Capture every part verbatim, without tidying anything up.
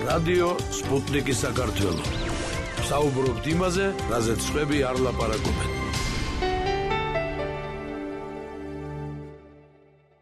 რადიო სპუტნიკის საქართველო. საუბრობთ იმაზე, რაზეც სხვები არ ლაპარაკობენ.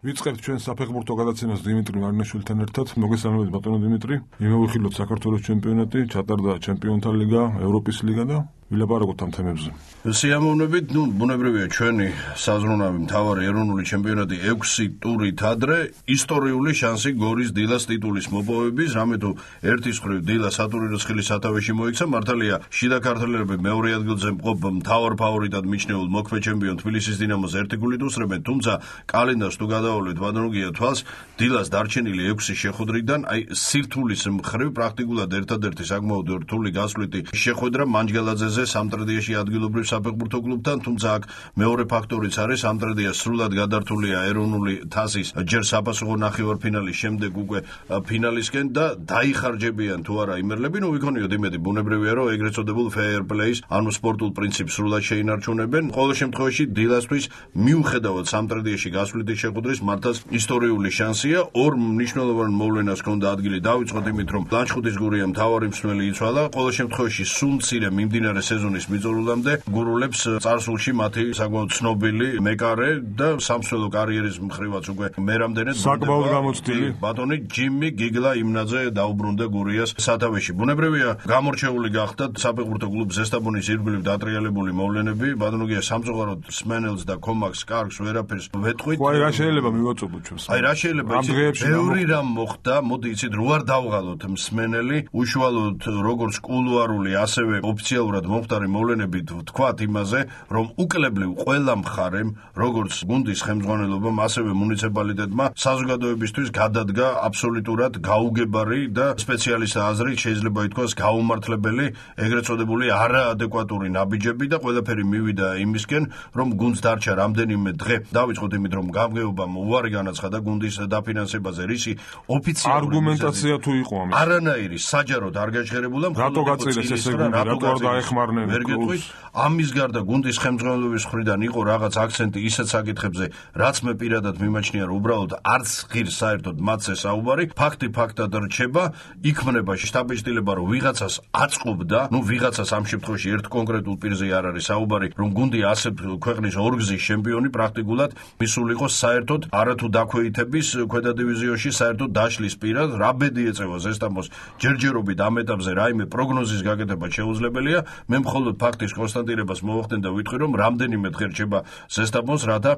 ვიწყებთ ჩვენ საფეხბურთო გადაცემას დიმიტრი მარინაშვილთან ერთად. მოგესალმებით ბატონო დიმიტრი. იმოვიხილოთ საქართველოს ჩემპიონატი, ჩატარდა ჩემპიონთა ლიგა, ევროპის ლიგა და ვილაპარაკოთ ამ თემებზე. სიამოვნებით, ნუ ბუნებრივია ჩვენი საზრუნავი მთავარი ეროვნული ჩემპიონატი ექვსი ტურით ადრე, ისტორიული შანსი გორის დილას ტიტულის მოპოვების, რამე თუ ერთის მხრივ დილა სატურინოს სათავეში მოიქცა, მართალია შიდა ქართველები მეორე ადგილზე მყოფ მთავარ ფავორიტად მიჩნეულ მოქმედ ჩემპიონ თბილისის დინამოს ერთი გულით უსწრებენ, თუმცა კალენდარს თუ გადავავლეთ ბატონოგია თვალს, დილას დარჩენილი ექვსი შეხვედრიდან, აი სირთულის მხრივ პრაქტიკულად ერთადერთი საკმაოდ რთული გასვლითი შეხვედრა მანჯგალაძეზე სამტრედიაში ადგილობრივ საფეხბურთო კლუბთან, თუმცა აქ მეორე ფაქტორიც არის, სამტრედია სრულად გადართულია ეროვნული თასის ჯერ საფასუხო ნახევარფინალის შემდეგ უკვე ფინალისკენ და დაიხარჯებიან თუ არა იმერლები, ნუ ვიქონიოთ იმედი ბუნებრივია რომ ეგრეთ წოდებულ fair play-ს, ანუ სპორტულ პრინციპს სრულად შეინარჩუნებენ. ყოველ შემთხვევაში დილასთვის მიუხედავად სამტრედიაში გასვლითი შეხვედრის მართლაც ისტორიული შანსია, ორ მნიშვნელოვან მოვლენას ჰქონდა ადგილი დავიწყოთ იმით რომ ლანჩხუთის გურია მთავარი მსმელი იცვალა, ყოველ შემთხვევაში სულ მცირე მიმდინარე სეზონის მიწურულამდე გურულებს წარსულში მათი საკმაოდ ცნობილი მეკარე და სამსვლელო კარიერის მხრივაც უკვე მერამდენად საკმაოდ გამოცდილი ბატონი ჯიმი გიგლა იმნაძე დაუბრუნდა გურიას სათავეში. ბუნებრივია გამორჩეული გახდათ საფეხბურთო კლუბ ზესტაფონის ირგვლივ დატრიალებული მოვლენები, ბატონოგია სამწუხაროდ სმენელს და კომაქს კარგს ვერაფერს ვეთყვით. აი რა შეიძლება მივაწოდოთ ჩვენს. აი რა შეიძლება ბევრი რამ მოხდა, მოდი იცით რო არ დავღალოთ მსმენელი, უშუალოდ როგორც კულუარული ასევე ოფიციალურად მომხდარი მოვლენებით ვთქვათ იმაზე, რომ უკლებლივ ყველა მხარემ, როგორც გუნდის ხელმძღვანელობამ, ასევე მუნიციპალიტეტმა საზოგადოებისთვის გადადგა აბსოლუტურად გაუგებარი და სპეციალისტთა აზრით შეიძლება ითქვას გაუმართლებელი ეგრეთ წოდებული არაადეკვატური ნაბიჯები და ყველაფერი მივიდა იმისკენ, რომ გუნდს დარჩა რამდენიმე დღე. დავიწყოთ იმით, რომ გამგეობამ უარი განაცხადა გუნდის დაფინანსებაზე, რისი ოფიციალური არგუმენტაცია თუ იყო ამის. არანაირი საჯაროდ არ გაჩერებულა, რატო გაწილეს ესე გუნდი, რატო არ დაეხმარნენ კლუბს? ამის გარდა გუნდის ხელმძღვანელობის მხრიდან იყო რაღაც აქცენტი ისეთ საკითხებზე, რაც მე პირადად მიმაჩნია, რომ უბრალოდ არც ღირს საერთოდ მათზე საუბარი, ფაქტი ფაქტად რჩება, იქმნება შტაბ-ბიჭდილება, რომ ვიღაცას აწყობდა, ნუ ვიღაცას ამ შემთხვევაში ერთ კონკრეტულ პირზე არ არის საუბარი, რომ გუნდი ასე ქვეყნის ორგზის ჩემპიონი პრაქტიკულად მისულიყო საერთოდ არათუ დაქვეითების ქვედა დივიზიონში საერთოდ დაშლის პირად, რა ბედი ეწევა ზესტაფონს ჯერჯერობით ამ ეტაპზე რაიმე პროგნოზის გაკეთება შეუძლებელია. მე მხოლოდ ფაქტის კონსტატირებას მოვახდენ და ვიტყვი, რომ რამდენიმე დღე რჩება ზესტაფონს, რათა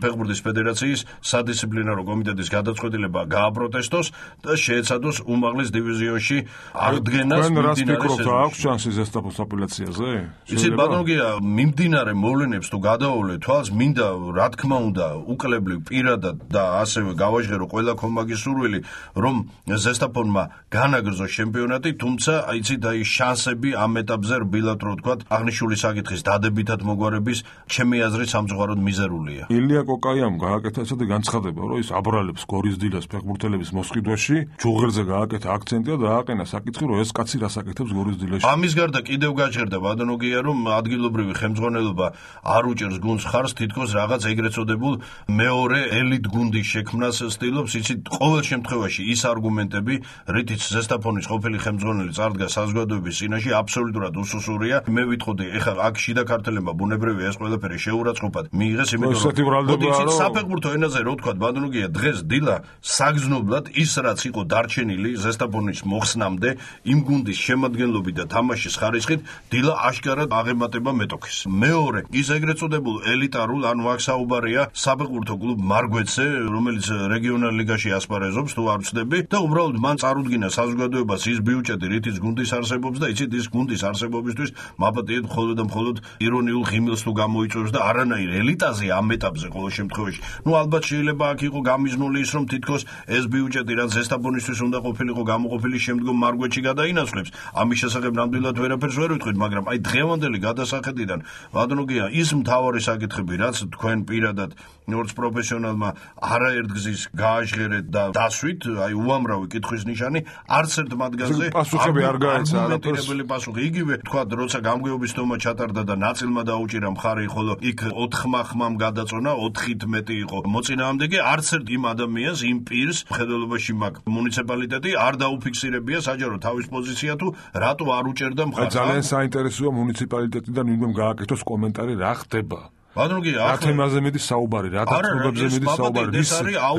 ფეხბურთის ფედერაციის სადისციპლინარო კომიტეტის გადაწყვეტილება გააპროტესტოს და შეეცადოს უმაღლეს დივიზიონში აღდგენას. თქვენ რას ფიქრობთ, აქვს შანსი ზესტაფონს აპელაციაზე? იცით ბატონოგია, მიმდინარე მოვლენებს თუ გადავავლეთ თვალს, მინდა რა თქმა უნდა უკლებლივ პირადად და ასევე გავაჟღერო ყველა კომაგის სურვილი, რომ ზესტაფონმა განაგრძოს ჩემპიონატი, თუმცა იცით აი შანსები ამ ეტაპზე რბილად რო ვთქვათ, აღნიშნული საკითხის დადებითად მოგვარების ჩემი აზრით სამწუხაროდ მიზერულია. ილია კოკაიამ გააკეთა ესეთი განცხადება, რომ ის აბრალებს გორის დილას ფეხბურთელების მოსყიდვაში, ჯუღელზე გააკეთა აქცენტი და დააყენა საკითხი, რომ ეს კაცი რას აკეთებს გორის დილაში. ამის გარდა კიდევ გაჩერდა ბატონოგია, რომ ადგილობრივი ხელმძღვანელობა არ უჭერს გუნდს ხარს, თითქოს რაღაც ეგრეთ წოდებულ მეორე ელიტ გუნდის შექმნას ცდილობს. იცით, ყოველ შემთხვევაში ის არგუმენტები, რითიც ზესტაფონის ყოფილი ხელმძღვანელი წარდგა საზოგადოების წინაშე, აბსოლუტურად უსუსურია. მე ვიტყოდი, ეხლა აქ შიდა ქართველებმა ბუნებრივია ეს ყველაფერი შეურაცხყოფად მიიღეს, იმიტომ რომ საფეხბურთო ენაზე რო ვთქვათ, ბატონოგია, დღეს დილა საგრძნობლად ის რაც იყო დარჩენილი ზესტაფონის მოხსნამდე, იმ გუნდის შემადგენლობით და თამაშის ხარისხით, დილა აშკარად აღემატება მეტოქეს. მეორე, ის ეგრეთ წოდებულ ელიტარულ, ანუ აქ საუბარია საფეხბურთო კლუბ მარგვეცზე, რომელიც რეგიონალ ლიგაში ასპარეზობს, თუ არ ვცდები, და უბრალოდ მან წარუდგინა საზოგადოებას ის ბიუჯეტი, რითიც გუნდის არსებობს და იცით, ის გუნდის არსებობისთვის მაპატიეთ მხოლოდ და მხოლოდ ირონიულ ღიმილს თუ გამოიწვევს და არანაირ ელიტაზე ამ ეტაპზე ყოველ შემთხვევაში. ნუ ალბათ შეიძლება აქ იყო გამიზნული ის, რომ თითქოს ეს ბიუჯეტი რაც ზესტაფონისთვის უნდა ყოფილიყო გამოყოფილი შემდგომ მარგვეთში გადაინაცვლებს. ამის შესახებ ნამდვილად ვერაფერს ვერ ვიტყვით, მაგრამ აი დღევანდელი გადასახედიდან ბატონოგია ის მთავარი საკითხები, რაც თქვენ პირადად როგორც პროფესიონალმა არაერთგზის გააჟღერეთ და დასვით, აი უამრავი კითხვის ნიშანი, არც ერთ მათგანზე პასუხები არ გაეცა არგუმენტირებული პასუხი. იგივე თქვა, როცა როცა გამგეობის თომა ჩატარდა და ნაწილმა დაუჭირა მხარი, ხოლო იქ ოთხმა ხმამ გადაწონა, ოთხით მეტი იყო მოწინააღმდეგე, არც ერთ იმ ადამიანს, იმ პირს მხედველობაში მაგ მუნიციპალიტეტი არ დაუფიქსირებია საჯარო თავის პოზიცია თუ რატო არ უჭერდა მხარს. ძალიან საინტერესოა მუნიციპალიტეტიდან ვინმე გააკეთოს კომენტარი რა ხდება. ბატონო კი რა თემაზე მედი საუბარი, რა დაწვრილებზე მედი საუბარი,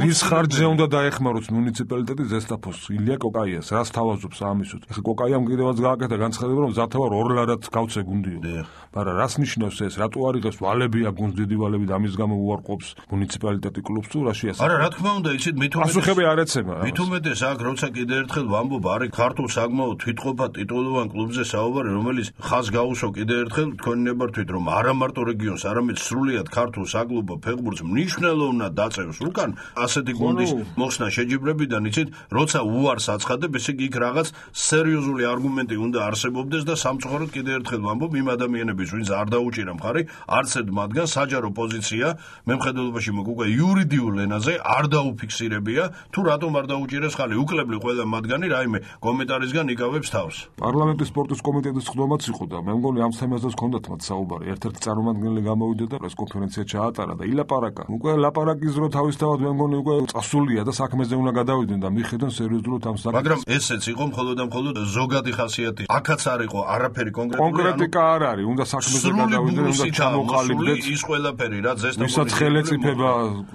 რის ხარჯზე უნდა დაეხმაროს მუნიციპალიტეტი ზესტაფოს ილია კოკაიას, რას თავაზობს ამისუთ. ეხლა კოკაიამ კიდევაც გააკეთა განცხადება, რომ ზათავარ ორ ლარად გავცე გუნდიო. მაგრამ რას ნიშნავს ეს? რატო არ იღებს ვალებია გუნდს დიდი ვალები და ამის გამო უარყოფს მუნიციპალიტეტი კლუბს თუ რა შეასრულებს? არა, რა თქმა უნდა, იცით, მით უმეტეს პასუხები არ ეცემა. მით უმეტეს აქ როცა კიდე ერთხელ ვამბობ, არის ქართულ საგმაო თვითყოფა ტიტულოვან კლუბზე საუბარი, რომელიც ხაზს გაუსვა კიდე ერთხელ თქვენი ნებართვით, რომ არა მარტო რეგიონს, არამედ სრულიად ქართულ საკლუბო ფეხბურთს მნიშვნელოვნად დაწევს უკან ასეთი გუნდის მოხსნა შეჯიბრებიდან, იცით, როცა უარს აცხადებ, ესე იგი იქ რაღაც სერიოზული არგუმენტი უნდა არსებობდეს და სამწუხაროდ კიდე ერთხელ ვამბობ, იმ ადამიანების ვინც არ დაუჭირა მხარი, არც ერთ მათგან საჯარო პოზიცია მემხედველობაში მოგ უკვე იურიდიულ ენაზე არ დაუფიქსირებია, თუ რატომ არ დაუჭირეს ხალი, უკლებლი ყველა მათგანი რაიმე კომენტარისგან იკავებს თავს. პარლამენტის სპორტის კომიტეტის ხდომაც იყო და მე მგონი ამ თემაზე ჰქონდათ მათ საუბარი. ერთ-ერთი წარმომადგენელი გამოვიდა და პრესკონფერენცია ჩაატარა და ილაპარაკა. უკვე ლაპარაკის დრო თავისთავად მე მგონი უკვე წასულია და საქმეზე უნდა გადავიდნენ და მიხედონ სერიოზულად ამ საკითხს. მაგრამ ესეც იყო მხოლოდ და მხოლოდ ზოგადი ხასიათი. აქაც არ იყო არაფერი კონკრეტული. კონკრეტიკა არ არის, უნდა საქმეზე გადავიდნენ, უნდა ჩამოყალიბდეს ის ყველაფერი, რაც ზესტაფონის ვისაც ხელეწიფება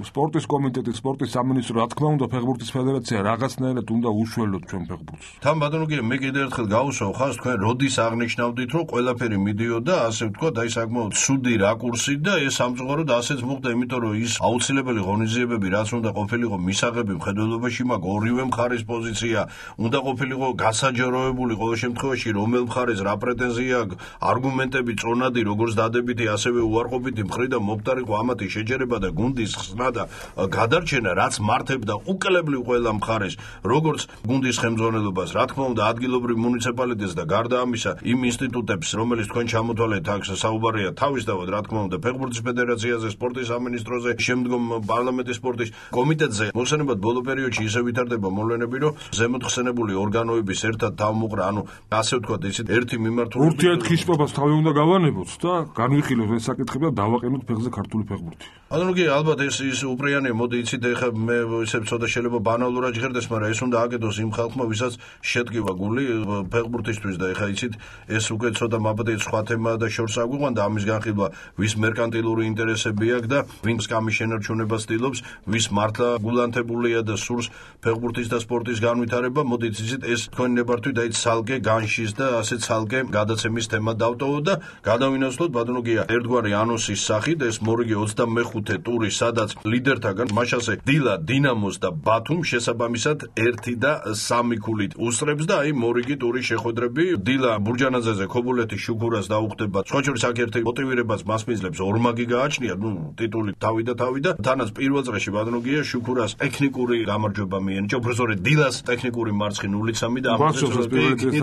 სპორტის კომიტეტი, სპორტის სამინისტრო, რა თქმა უნდა, ფეხბურთის ფედერაცია რაღაცნაირად უნდა უშველოთ ჩვენ ფეხბურთს. თან ბატონო კი მე კიდევ ერთხელ გავუსვავ ხაზს, თქვენ როდის აღნიშნავდით, რომ ყველაფერი მიდიოდა, ასე ვთქვათ, აი საკმაოდ ცუდი რაკურსით და ეს სამწუხაროდ ასეც მოხდა, იმიტომ რომ ის აუცილებელი ღონისძიებები, რაც უნდა ყოფილიყო მისაღები მხედველობაში, მაგ ორივე მხარის პოზიცია უნდა ყოფილიყო გასაჯაროებული ყოველ შემთხვევაში, რომელ მხარეს რა პრეტენზია აქვს, არგუმენტები წონადი, როგორც დადებითი, ასევე უარყოფითი მხრიდან მომხდარიყო ამათი შეჯერება და გუნდის ხსნა და გადარჩენა, რაც მართებდა უკლებლივ ყველა მხარეს, როგორც გუნდის ხელმძღვანელობას, რა თქმა უნდა, ადგილობრივ მუნიციპალიტეტს და გარდა ამისა, იმ ინსტიტუტებს, რომელიც თქვენ ჩამოთვალეთ აქ საუბარია თავისთავად, რა თქმა უნდა, ფეხბურთის ფედერაციაზე, სპორტის სამინისტროზე, შემდგომ პარლამენტის სპორტის კომიტეტზე. მოხსენებად ბოლო პერიოდში ისე ვითარდება მოვლენები, რომ ზემოთ ხსენებული ორგანოების ერთად თავმოყრა, ანუ ასე ვთქვათ, ისეთ ერთი მიმართულებით ურთიერთხიშპობას თავი უნდა გავანებოთ და განვიხილოთ ეს საკითხები და დავაყენოთ ფეხზე ქართული ფეხბურთი. ანუ კი ალბათ ეს ის უპრიანია, მოდი იცით, ეხლა მე ისე ცოტა შეიძლება ბანალურად ჟღერდეს, მაგრამ ეს უნდა აკეთოს იმ ხალხმა, ვისაც შედგება გული ფეხბურთისთვის და ეხლა იცით, ეს უკვე ცოტა მაბადეთ სხვა თემაა და შორს აგვიყვან და ამის განხილვა, ვის მერკანტილური ინტერესები აქვს და ვინც კამის შენარჩუნებას ცდილობს, ვის მართლა გულანთებულია და სურს ფეხბურთის და სპორტის განვითარება, მოდით იცით, ეს თქვენი ნებართვით აი ცალკე განშის და ასე ცალკე გადაცემის თემა დავტოვოთ და გადავინაცვლოთ ბატონო გია ერთგვარი ანონსის სახით, ეს მორიგი ოცდამეხუთე ტური, სადაც ლიდერთაგან მაშასე დილა, დინამოს და ბათუმ შესაბამისად ერთი და სამი ქულით უსწრებს და აი მორიგი ტურის შეხვედრები დილა ბურჯანაძეზე ქობულეთის შუქურას დაუხდება. სხვა შორის აქ ერთი მოტივირებას მასპინძლებს ორმაგი გააჩნია, ნუ ტიტული თავი და თავი და თანაც პირველ წრეში ბატონო გია შუქურას ტექნიკური გამარჯვება მიენიჭა, უბრალოდ დილას ტექნიკური მარცხი ნული სამი და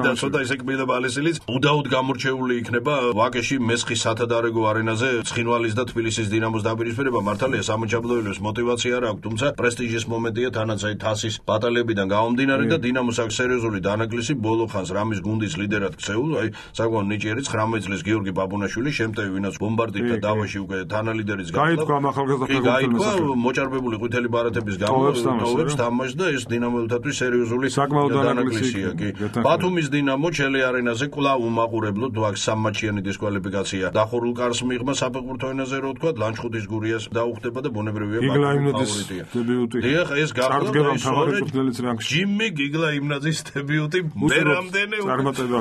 და ცოტა ისე კბილა ბალესილიც უდაოდ გამორჩეული იქნება ვაკეში მესხის სათადარეგო არენაზე ცხინვალის და თბილისის დინამოს დაპირისპირება. მართალია სამოჯაბლოელებს მოტივაცია არ აქვს, თუმცა პრესტიჟის მომენტია თანაც აი თასის ბატალებიდან გამომდინარე და დინამოს აქვს სერიოზული დანაკლისი ბოლო ხანს რამის გუნდის ლიდერად ქცეულ, აი საკმაოდ ნიჭიერი ცხრამეტ წლის გიორგი ბაბუნაშვილი, შემტევი ვინაც ბომბარდირდა დავაში უკვე თანალიდერის გახდა. გაითქვა ახალგაზრდა ფეხბურთელს მოჭარბებული ყვითელი ბარათების გამო ტოვებს თამაშს და ეს დინამოელთათვის სერიოზული დანაკლისია კი. ბათუმის დინამო ჩელი არენაზე კვლავ უმაყურებლო თუ აქ სამმაჩიანი დისკვალიფიკაცია დახურულ კარს მიიღმა საფეხბურთო ენაზე რო ვთქვა, ლანჩხუთის გურიას დაუხდება და ბუნებრივია ფავორიტია. დებიუტი. დიახ, ეს გახდა ჯიმი გიგლაიმნაძის დებიუტი მერამდენე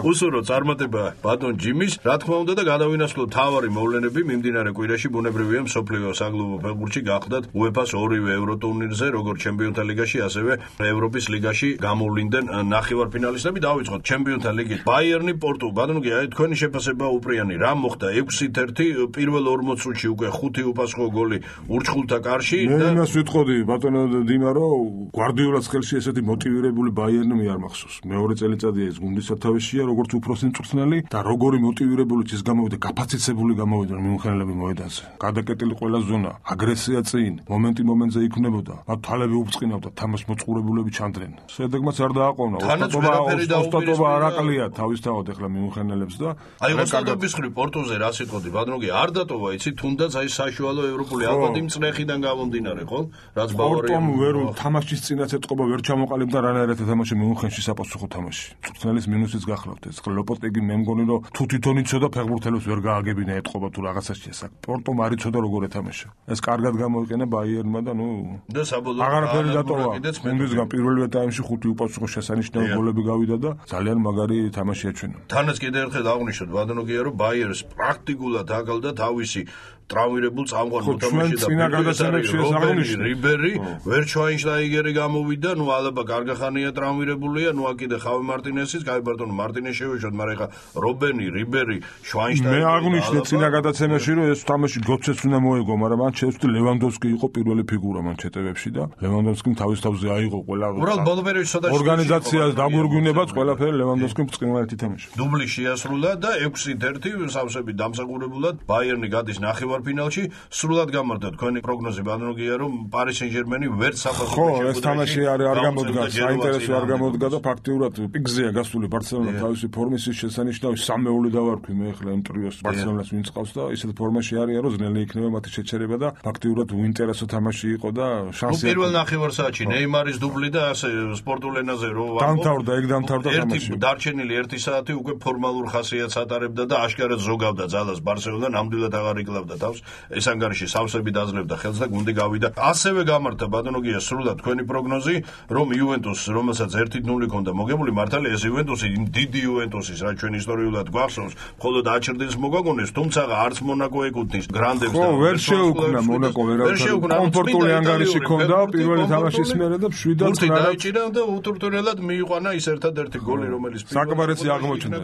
უსურო წარმატება ბატონ ჯიმის, რა თქმა უნდა და გადავინაცვლოთ თავარი მოვლენები მიმდინარე კვირაში ბუნებრივია მსოფლიო საკლუბო ფეხბურთში გახდათ უეფას ორივე ევროტურნირზე, როგორც ჩემპიონთა ლიგაში, ასევე ევროპის ლიგაში გამოვლინდნენ ნახევარფინალისტები. დავიწყოთ ჩემპიონთა ლიგით. ბაიერნი პორტუ, ბატონო კი, აი თქვენი შეფასება უპრიანი, რა მოხდა ექვსით ერთი პირველ ორმოც წუთში უკვე ხუთი უპასუხო გოლი ურჩხულთა კარში და მე იმას ვიტყოდი ბატონო დიმა, რომ გვარდიოლას ხელში ესეთი მოტივირებული ბაიერნი მე არ მახსოვს. მეორე წელიწადია ეს გუნდის სათავეშია, როგორც უფროსი მწვრთნელი და როგორი მოტივირებული ის გამოვიდა, გაფაციცებული გამოვიდა მიმოხილებელი მოედანზე. გადაკეტილი ყველა ზონა, აგრესია წინ, momenti მომენტზე იქნებოდა. მათ თალები უბწყინავდა, თამაშ მოწყურებულები ჩანდრენ. შედეგმაც არ დააყოვნა. ოსტატობა არ აკლია თავისთავად ახლა მიუნხენელებს და აი ოსტატობის ხრი პორტუზე რა სიტყვოდი, ბადროგი არ დატოვა, იცი, თუნდაც აი საშუალო ევროპული ალბათ იმ წნეხიდან გამომდინარე, ხო? რაც ბავარია. პორტომ ვერ თამაშის წინაც ეტყობა ვერ ჩამოყალიბდა რანაირად ეთამაშე მიუნხენში საპასუხო თამაში. მწვრთნელის მინუსიც გახლავთ ეს. ლოპოტეგი მე მგონი რომ თუ თვითონ იცოდა ფეხბურთელებს ვერ გააგებინა ეტყობა თუ რაღაცაში ეს. პორტომ არ იცოდა როგორ ეთამაშა. ეს კარგად გამოიყენა ბაიერნმა და ნუ და საბოლოოდ აღარაფერი დატოვა. უნდისგან პირველ ტაიმში ხუთი უპასუხო შესანიშნავი გოლები გავიდა და ძალიან მაგარი თამაში აჩვენა. თანაც კიდევ ერთხელ აღნიშნოთ ბადონოგია რომ ბაიერს პრაქტიკულად აკალდა თავისი ტრავმირებულ წამყვან მოთამაშე და წინა გადაცემებში ეს აღნიშნა რიბერი, ვერჩვაინშტაიგერი გამოვიდა, ნუ ალბა კარგახანია ტრავმირებულია, ნუ აქედე ხავი მარტინესის, კაი ბარტონო მარტინეს შევეშოთ, მაგრამ ეხა რობენი, რიბერი, შვაინშტაიგერი. მე აღნიშნე წინა გადაცემაში რომ ეს თამაში გოცეც უნდა მოეგო, მაგრამ მან შეძლო ლევანდოვსკი იყო პირველი ფიგურა მან ჩეტევებში და ლევანდოვსკიმ თავის თავზე აიღო ყველა უბრალოდ ბოლო პერიოდში ცოტა ორგანიზაციას დაგვირგვინებაც ყველაფერი ლევანდოვსკიმ ბრწყინვალედ ითამაშა. დუბლი შეასრულა და ექვსით ერთი სავსები დამსახურებულად ბაიერნი გადის ნახევარ ფინალში. სრულად გამართა თქვენი პროგნოზი ბადროგია რომ პარი სენ-ჟერმენი ვერც საფასურში ხო ეს თამაში არ არ გამოდგა საინტერესო არ გამოდგა და ფაქტიურად პიკზეა გასული ბარსელონა თავისი ფორმის შესანიშნავი სამეული დავარქვი მე ახლა იმ ტრიოს ბარსელონას ვინც ყავს და ისეთ ფორმაში არიან რომ ძნელი იქნება მათი შეჩერება და ფაქტიურად უინტერესო თამაში იყო და შანსი პირველ ნახევარ საათში ნეიმარის დუბლი და ასე სპორტულ ენაზე რო დამთავრდა ეგ დამთავრდა თამაში ერთი დარჩენილი ერთი საათი უკვე ფორმალურ ხასიათს ატარებდა და აშკარად ზოგავდა ძალას ბარსელონა ნამდვილად აღარ იკლავდა თავს ეს ანგარიში სავსები დაძლევდა ხელს და გუნდი გავიდა ასევე გამართა ბადონოგია სრულად თქვენი პროგნოზი რომ იუვენტუსს რომელსაც ერთი ნული ჰქონდა მოგებული მართალია ეს იუვენტუსი დიდი იუვენტუსის რა ჩვენ ისტორიულად გვახსოვს მხოლოდ აჩრდილს მოგვაგონეს თუმცა არც მონაკო ეკუთვნის გრანდებს და ვერ შეუქმნა მონაკო ვერავითარ კომფორტული ანგარიში ჰქონდა პირველი თამაშის მერე და შვიდად დაიჭირა და უთურთურელად მიიყვანა ის ერთადერთი გოლი რომელიც საკმარისი აღმოჩნდა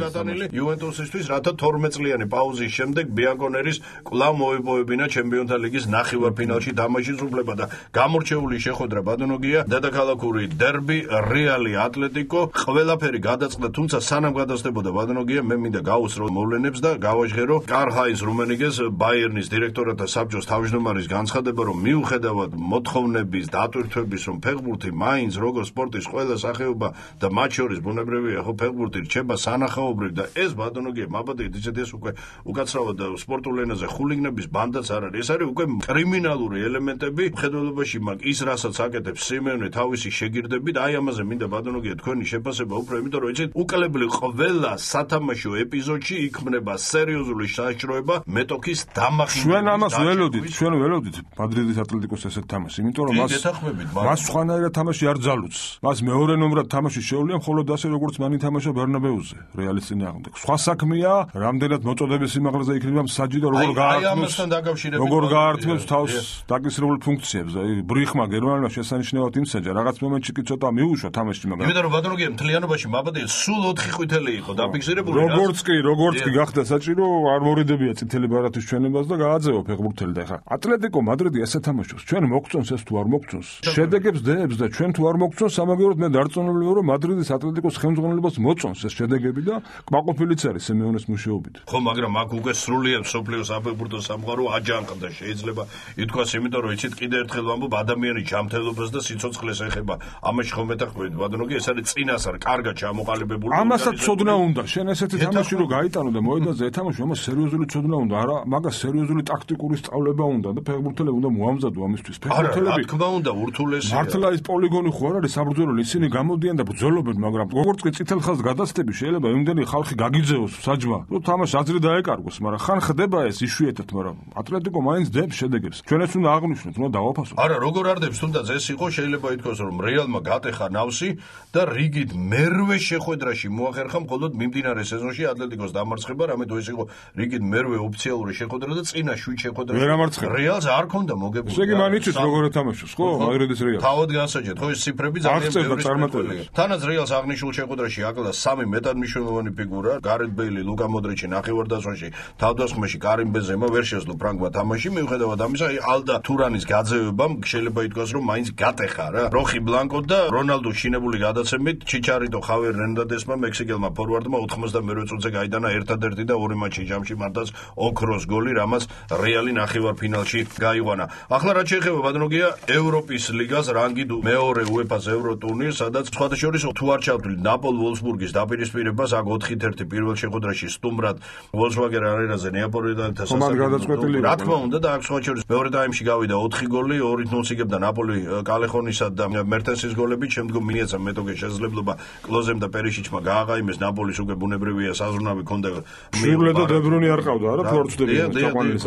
იუვენტუსისთვის რათა თორმეტ წლიანი პაუზის შემდეგ ბიანკონერის კვლავ მოიპოვებინა ჩემპიონთა ლიგის ნახევარფინალში თამაშის უფლება და გამორჩეული შეხვედრა ბადონოგია დედაქალაქური დერბი რეალი ატლეტიკო ყველაფერი გადაწყდა თუმცა სანამ გადასდებოდა ბადონოგია მე მინდა გავუსრო მოვლენებს და გავაჟღერო კარჰაინს რუმენიგეს ბაიერნის დირექტორათა საბჭოს თავმჯდომარის განცხადება რომ მიუხედავად მოთხოვნების დატვირთვების რომ ფეხბურთი მაინც როგორც სპორტის ყველა სახეობა და მათ შორის ბუნებრივია ხო ფეხბურთი რჩება სანახაობრივ და ეს ბადონოგია მაბადეთ ისეთ ეს უკვე უკაცრავად სპორტულ ენაზე ხულიგნების ბანდაც არ არის ეს არის უკვე კრიმინალური ელემენტები მხედველობაში მაგ ის რასაც აკეთებს სიმეონე თავისი შეგირდებით აი ამაზე მინდა ბადონოგია თქვენი შეფასება უფრო იმიტომ რომ იცით უკლებლი ყველა სათამაშო ეპიზოდში იქმნება სერიოზული საშიშროება მეტოქის დამახინჯება ჩვენ ამას ველოდით ჩვენ ველოდით მადრიდის ატლეტიკოს ესეთ თამაშს იმიტომ რომ მას მას სხვანაირად თამაში არ ძალუძს მას მეორე ნომრად თამაში შეუძლია მხოლოდ ასე როგორც მან ითამაშა ბერნაბეუზე რეალის წინააღმდეგ სხვა საქმეა რამდენად მოწოდების სიმაღლეზე იქნება მსაჯი და როგორ გაართმევს როგორ გაართმევს თავს დაკისრებულ ფუნქციებს აი ბრიხმა გერმანულმა შესანიშნავად იმსაჯა რაღაც მომენტში კი ცოტა მიუშვა თამაში მაგრამ იმიტომ რომ ბადროგია მთლიანობაში მაბადე სულ ოთხი ყვითელი იყო დაფიქსირებული როგორც კი როგორც კი გახდა საჭირო არ მორიდებია წითელი ბარათის ჩვენებას და გააძევა ფეხბურთელი და ხა ატლეტიკო მადრიდი ესე თამაშობს ჩვენ მოგწონს ეს თუ არ მოგწონს შედეგებს დებს და ჩვენ თუ არ მოგწონს სამაგეროდ მე დარწმუნებული ვარ რომ მადრიდის ატლეტიკოს ხელმძღვანელობას მოწონს ეს შედეგები და კმაყოფილიც არის სიმეონეს მუშაობით ხო მაგრამ აქ უკვე სრულიად სოფლიოს საფეხბურთო სამყარო აჯანყდა შეიძლება ითქვას იმიტომ რომ იცით კიდე ერთხელ ვამბობ ადამიანის ჯანმრთელობას და სიცოცხლეს ეხება ამაში ხომ მეტახვედით ბადონოგი ეს არის წინასწარ კარგად ჩამოყალიბებული ამასაც ცოდნა უნდა შენ ესეთი თამაში რო გაიტანო და მოედანზე ეთამაშო ამას სერიოზული ცოდნა უნდა არა მაგას სერიოზული ტაქტიკური სწავლება უნდა და ფეხბურთელები უნდა მოამზადო ამისთვის ფეხბურთელები რა თქმა უნდა ურთულესია მართლა ის პოლიგონი ხო არ არის საბრძოლო ისინი გამოდიან და ბრძოლობენ მაგრამ როგორც კი წითელ ხაზს გადასცდები შეიძლება იმდენი ხალხი გაგიძეოს საჯმა რომ თამაში აზრი დაეკარგოს მაგრამ ხან ხდება ეს იშვიათად მაგრამ ატლეტიკო მაინც დებს შედეგებს ჩვენ ეს უნდა აღვნიშნოთ უნდა დავაფასოთ არა როგორ არ დებს თუნდაც ეს იყო შეიძლება ითქვას რომ რეალმა გატეხა ნავსი და რიგით მერვე შეხვედრაში მოახერხა მხოლოდ მიმდინარე სეზონში ატლეტიკოს დამარცხება რამე თუ ეს იყო რიგით მერვე ოფიციალური შეხვედრა და წინა შვიდ შეხვედრაში რეალს არ ქონდა მოგებული ესე იგი მან იცის როგორ ეთამაშოს ხო მადრიდის რეალს თავად განსაჯეთ ხო ეს ციფრები ძალიან ბევრი თანაც რეალს აღნიშნულ შეხვედრაში აკლდა სამი მეტად მნიშვნელოვანი ფიგურა გარეთ ბეილი ლუკა მოდრიჩი ნახევარდაცვაში თავდასხმაში კარიმ ბენზემა ვერ შეძლო ფრანგმა თამაში, მიუხედავად ამისა, აი ალდა თურანის გაძევებამ შეიძლება ითქვას, რომ მაინც გატეხა რა. როხი ბლანკო და რონალდო შინებული გადაცემით ჩიჩარიტო ხავიერ ერნანდესმა მექსიკელმა ფორვარდმა ოთხმოცდამეერთე წუთზე გაიტანა ერთადერთი და ორი მატჩი ჯამში მარტაც ოქროს გოლი, რამაც რეალი ნახევარფინალში გაიყვანა. ახლა რაც შეეხება ბადროგია ევროპის ლიგას რანგი მეორე უეფა-ს ევროტურნირს, სადაც სხვათა შორის თუ არ ჩავთვლით ნაპოლ ვოლსბურგის დაპირისპირებას, აქ ოთხი ერთ პირველ შეხვედრაში სტუმრად ვოლსვაგენ არენაზე ნეაპოლთან დასასრულებელი. რა თქმა უნდა და აქ სხვათა შორის მეორე ტაიმში გავიდა ოთხი გოლი, ორი ნულს იგებდა ნაპოლი კალეხონისა და მერტენსის გოლებით, შემდგომ მიეცა მეტოქე შესაძლებლობა კლოზემ და პერიშიჩმა გააყაიმეს ნაპოლის უკვე ბუნებრივია საზრუნავი ქონდა. შურლე და დებრუნი არ ყავდა არა ფორცდები თაყვანილი.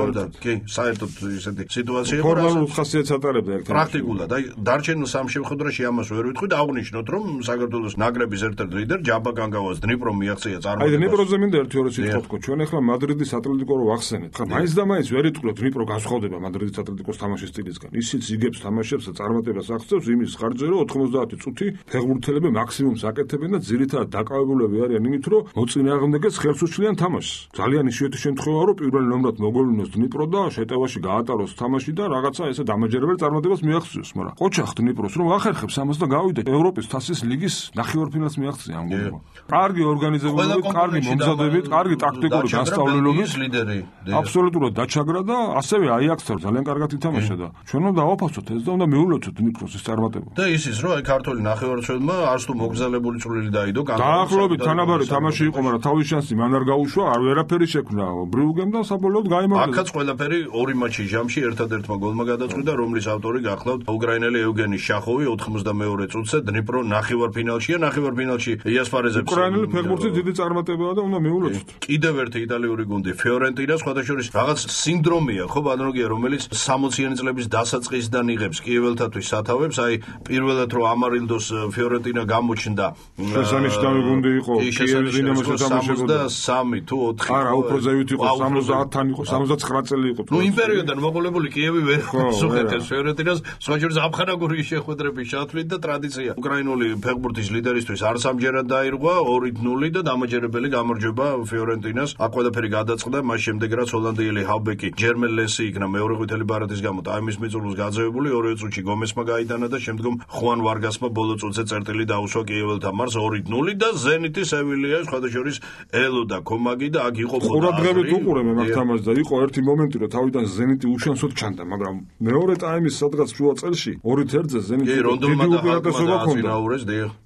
კი, საერთოდ ისეთი სიტუაცია იყო. ფორმალურ ხასიათს ატარებდა ერთად. პრაქტიკულად, აი დარჩენილ სამ შეხვედრაში ამას ვერ ვიტყვით, აღნიშნოთ, რომ საქართველოს ნაკრების ერთ-ერთი ლიდერ ჯაბა კანგავას დნიპრომ მიაღწია წარმოება. აი დნიპროზე მინდა ერთი ორი სიტყვა თქვა. ჩვენ ახლა მადრიდის ატლეტიკო რო ვახსენეთ. ხა მაინც და მაინც ვერ იტყვროთ დნიპრო განსხვავდება მადრიდის ატლეტიკოს თამაშის სტილისგან. ისიც იგებს თამაშებს და წარმატებას აღწევს იმის ხარჯზე, რომ ოთხმოცდაათი წუთი ფეხბურთელები მაქსიმუმს აკეთებენ და ძირითადად დაკავებულები არიან იმით, რომ მოწინააღმდეგეს ხელს უშლიან თამაშს. ძალიან იშვიათი შემთხვევაა, რომ პირველ ნომრად მოგოვლინოს დნიპრო და შეტევაში გაატაროს თამაში და რაღაცა ესე დამაჯერებელი წარმატებას მიაღწიოს, მაგრამ ყოჩახ დნიპროს რომ ახერხებს ამას და გავიდა ევროპის თასის ლიგის ნახევარფინალს მიაღწია ამ გუნდმა. კარგი ორგანიზებულობით, კარგი მომზადებით, კარგი ტაქტიკური განსწავლელობით ლიდერი. აბსოლუტურად დაჩაგრა და ასევე აიაქსთან ძალიან კარგად ითამაშა და ჩვენ უნდა დავაფასოთ ეს და უნდა მიულოცოთ დნიპროს ის წარმატება. და ის ის რომ აი ქართული ნახევარმცველმა არც თუ მოგზალებული წვლილი დაიდო დაახლოებით თანაბარი თამაში იყო, მაგრამ თავის შანსი მან არ გაუშვა, არ ვერაფერი შექმნა ბრიუგემ და საბოლოოდ გაიმარჯვა. აქაც ყველაფერი ორი მატჩი ჯამში ერთადერთმა გოლმა გადაწყვიტა, რომლის ავტორი გახლავთ უკრაინელი ევგენი შახოვი ოთხმოცდამეორე წუთზე დნიპრო ნახევარფინალშია, ნახევარფინალში იასპარეზებს. უკრაინელი ფეხბურთის დიდი წარმატებაა და უნდა მიულოცოთ. კიდევ ერთი იტალიური გუნდი ფიორენტინა, სხვათა შორის რაღაც სინდრომია, ხო ბანროგია, რომელიც სამოციანი წლების დასაწყისიდან იღებს კიეველთათვის სათავებს, აი პირველად რომ ამარილდოს ფიორენტინა გამოჩნდა. შესანიშნავი გუნდი იყო, კიევის დინამოს თამაშობდა სამი თუ ოთხი. არა, უფრო ზევით იყო, სამოცდაათთან იყო, სამოცდაცხრა წელი იყო. ნუ იმ პერიოდიდან მოყოლებული კიევი ვერ სუხეთეს ფიორენტინას, სხვა შორის ამხანაგური შეხვედრების ჩათვლით და ტრადიცია. უკრაინული ფეხბურთის ლიდერისთვის არ სამჯერად დაირღვა ორი ნული და დამაჯერებელი გამარჯვება ფიორენტინას. აქ ყველაფერი გადაწყდა, მას შემდეგ რაც ჰოლანდიელი ჰავბეკი ჯერმენ ლესი იქნა მეორე ყვითელი ბარათის გამო ტაიმის მიწურულს გაძევებული, ორივე წუთში გომესმა გაიტანა და შემდგომ ხუან ვარგასმა ბოლო წუთზე წერტილი დაუსვა კიეველთა მარს ორი ნული და ზენიტი სევილია, სხვათა შორის ელო და კომაგი და აქ იყო ყურადღებით უყურე მე მაგ თამაშს და იყო ერთი მომენტი, რომ თავიდან ზენიტი უშანსოდ ჩანდა, მაგრამ მეორე ტაიმის სადღაც შუა წელში ორი თერთზე ზენიტი დიდი უპირატესობა ჰქონდა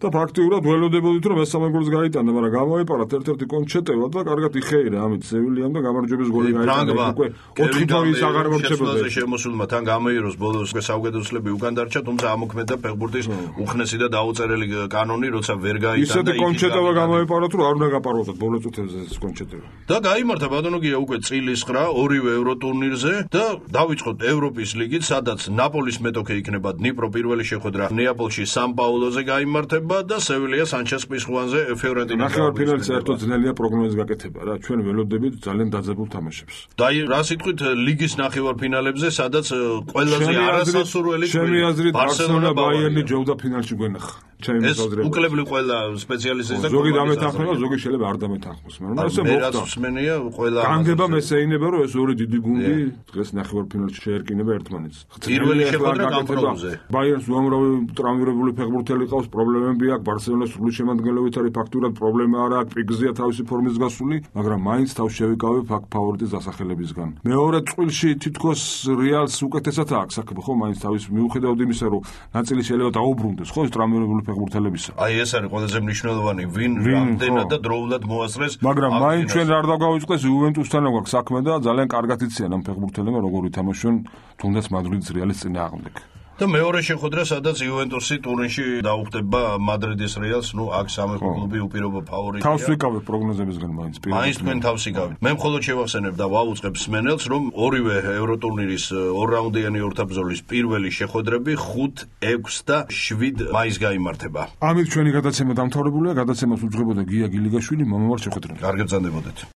და ფაქტიურად ველოდებოდით, რომ მესამე გოლს გაიტანა, მაგრამ გამოეპარათ ერთ-ერთი კონჩეტევა და კარგად იხეირა ამით სევილიამ და გამარჯვების გოლი გაიტანა. უკვე ოთხი თავის აღარ მორჩებოდა. შემოსულმა თან გამოიეროს ბოლოს საუკეთესოები უკან დარჩა, თუმცა ამოქმედა ფეხბურთის უხნესი და დაუწერელი კანონი, როცა ვერ გაიტანა. ისეთი კონჩეტევა გამოეპარათ, რომ არ უნდა გაპაროთ ბოლო წუთებზე ეს კონჩეტევა. და გაიმართა ბატონოგია უკვე წილის ცხრა ორივე ევროტურნირზე და დავიწყოთ ევროპის ლიგით, სადაც ნაპოლის მეტოქე იქნება დნიპრო პირველი შეხვედრა ნეაპოლში სან პაულოზე გაიმართება და სევილია სანჩეს პისხუანზე ფიორენტინა. ნახევარფინალში საერთოდ ძნელია პროგნოზის გაკეთება რა, ჩვენ ველოდებით ძალიან დაძაბულ თამაშებს. და რა სიტყვით ლიგის ნახევარფინალებზე, სადაც ყველაზე არასასურველი ჩემი აზრით ბარსელონა ბაიერნი ჯობდა ფინალში გვენახა. ეს უკლებლი ყველა სპეციალისტის და ზოგი დამეთანხმება, ზოგი შეიძლება არ დამეთანხმოს, მაგრამ ესე მოხდა. მსმენია ყველა განგება მესეინება, რომ ეს ორი დიდი გუნდი დღეს ნახევარფინალში შეერკინება ერთმანეთს. პირველი შეხვედრა გამპრობზე. ბაიერნს უამრავი ტრავმირებული ფეხბურთელი ყავს, პრობლემები აქვს, ბარსელონას სრული შემადგენლობით არის ფაქტურად პრობლემა არა აქვს, პიგზია თავისი ფორმის გასული, მაგრამ მაინც თავს შევიკავებ აქ ფავორიტის დასახელებისგან. მეორე წყვილში თითქოს რეალს უკეთესად აქვს საქმე, ხო, მაინც თავის მიუხედავად იმისა, რომ ნაწილი შეიძლება დაუბრუნდეს, ხო, ეს ტრავმირებული ფეხბურთელებისა. აი ეს არის ყველაზე მნიშვნელოვანი, ვინ რამდენად და დროულად მოასწრეს. მაგრამ მაინც ჩვენ არ დავგავიწყდეს იუვენტუსთან გვაქვს საქმე და ძალიან კარგად იციან ამ ფეხბურთელებმა როგორ ითამაშონ თუნდაც მადრიდის რეალის წინააღმდეგ. და მეორე შეხვედრა, სადაც იუვენტუსი ტურინში დაუხდება მადრიდის რეალს, ნუ აქ სამი კლუბი უპირობო ფავორიტია. თავს ვიკავებ პროგნოზებისგან მაინც პირველად. მაინც თქვენ თავს იკავით. მე მხოლოდ შევახსენებ და ვაუწყებ სმენელს, რომ ორივე ევროტურნირის ორრაუნდიანი ორთაბრძოლის პირველი შეხვედრები ხუთ, ექვს და შვიდ მაისს გაიმართება. ამით ჩვენი გადაცემა დამთავრებულია. გადაცემას უძღვებოდა გია გილიგაშვილი, მომავალ შეხვედრამდე. კარგად ბრძანდებოდეთ.